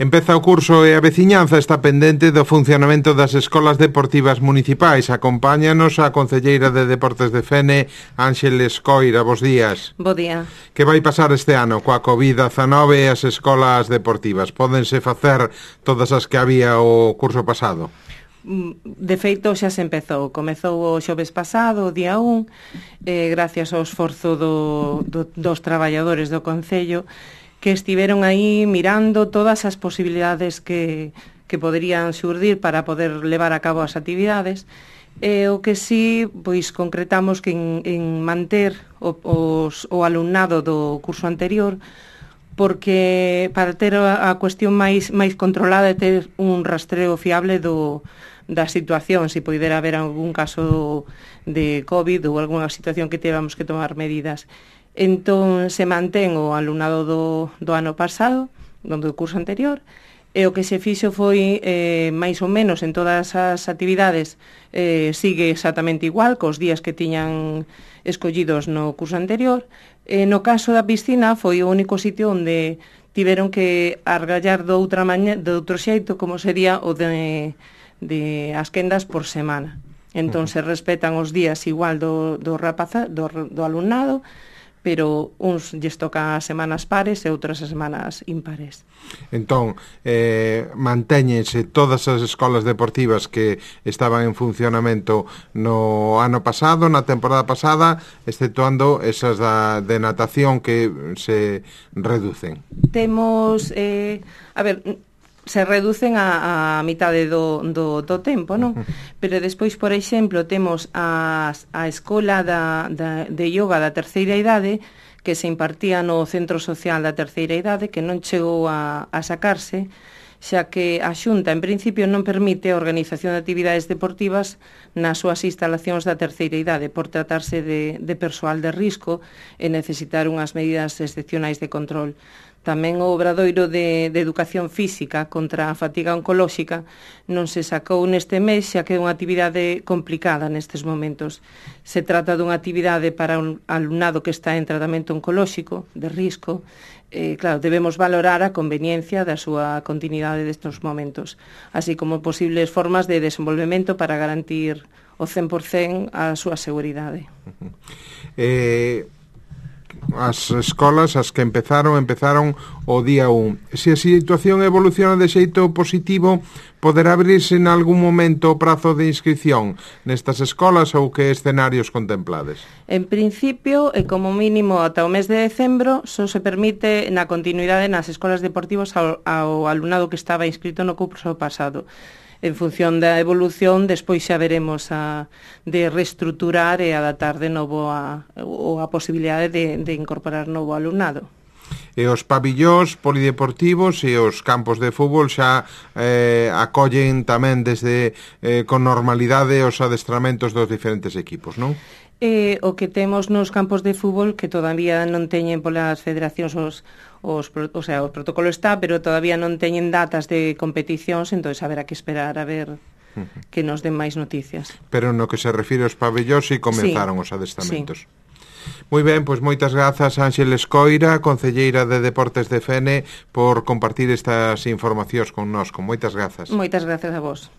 Empeza o curso e a veciñanza está pendente do funcionamento das escolas deportivas municipais. Acompáñanos a concelleira de Deportes de Fene, Ánxeles Coira. Bos días. Bo día. Que vai pasar este ano coa COVID-19 e as escolas deportivas? Pódense facer todas as que había o curso pasado? De feito, xa se empezou. Comezou o xoves pasado, o día 1, gracias ao esforzo dos traballadores do Concello, que estiveron aí mirando todas as posibilidades que poderían xurdir para poder levar a cabo as actividades. O que sí, pois concretamos que en manter o alumnado do curso anterior, porque para ter a cuestión máis controlada e ter un rastreo fiable da situación, se poidera haber algún caso de COVID ou algunha situación que tivemos que tomar medidas. Entón, se mantén o alumnado do ano pasado, do curso anterior, e o que se fixo foi, máis ou menos en todas as actividades, sigue exactamente igual, cos días que tiñan escollidos no curso anterior. No caso da piscina, foi o único sitio onde tiveron que argallar do outro xeito, como sería o de as quendas por semana. Entón, se respetan os días igual do alumnado, pero uns lles toca as semanas pares e outras as semanas impares. Entón, mantéñense todas as escolas deportivas que estaban en funcionamento no ano pasado, na temporada pasada, exceptuando esas de natación que se reducen. Temos, se reducen a mitade do tempo, non? Pero despois, por exemplo, temos a escola de yoga da terceira idade, que se impartía no Centro Social da terceira idade, que non chegou a sacarse, xa que a Xunta, en principio, non permite a organización de actividades deportivas nas súas instalacións da terceira idade, por tratarse de persoal de risco e necesitar unhas medidas excepcionais de control. Tamén o obradoiro de educación física contra a fatiga oncolóxica non se sacou neste mes, xa que é unha actividade complicada nestes momentos. Se trata dunha actividade para un alumnado que está en tratamento oncolóxico, de risco. Claro, debemos valorar a conveniencia da súa continuidade destes momentos, así como posibles formas de desenvolvemento para garantir o 100% a súa seguridade. As escolas, as que empezaron o día 1. Se a situación evoluciona de xeito positivo, poderá abrirse en algún momento o prazo de inscripción nestas escolas ou que escenarios contemplades? En principio, e como mínimo ata o mes de decembro, só se permite na continuidade nas escolas deportivas ao alumnado que estaba inscrito no curso pasado. En función da evolución, despois xa veremos de reestruturar e adaptar de novo a posibilidade de incorporar novo alumnado. E os pabillóns polideportivos e os campos de fútbol xa acollen tamén desde con normalidade os adestramentos dos diferentes equipos, non? O que temos nos campos de fútbol, que todavía non teñen polas federacións o protocolo está, pero todavía non teñen datas de competicións, entón haberá que esperar a ver que nos den máis noticias. Pero no que se refire aos pabellóns si comenzaron os adestramentos. Sí. Moi ben, pois moitas grazas Ánxeles Coira, concelleira de Deportes de Fene, por compartir estas informacións con nós. Moitas grazas. Moitas grazas a vos.